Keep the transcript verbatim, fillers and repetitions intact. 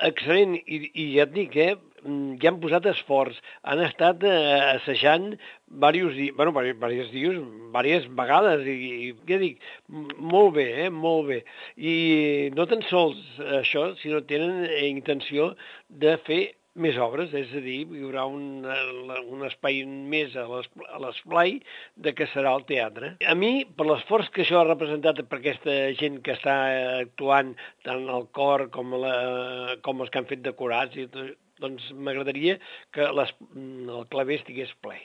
excel·lent, i, i ja et dic, eh, ja han posat esforç, han estat eh, assajant diversos dies, bueno, diversos dies, diverses vegades, i, i ja dic, molt bé, eh, molt bé. I no tan sols això, sinó tenen intenció de fer més obres, és a dir, hi haurà un, un espai més a l'esplai de que serà el teatre. A mi, per l'esforç que això ha representat per aquesta gent que està actuant, tant el cor com, la, com els que han fet decorats, i tot, doncs m'agradaria que les, el claver estigués ple.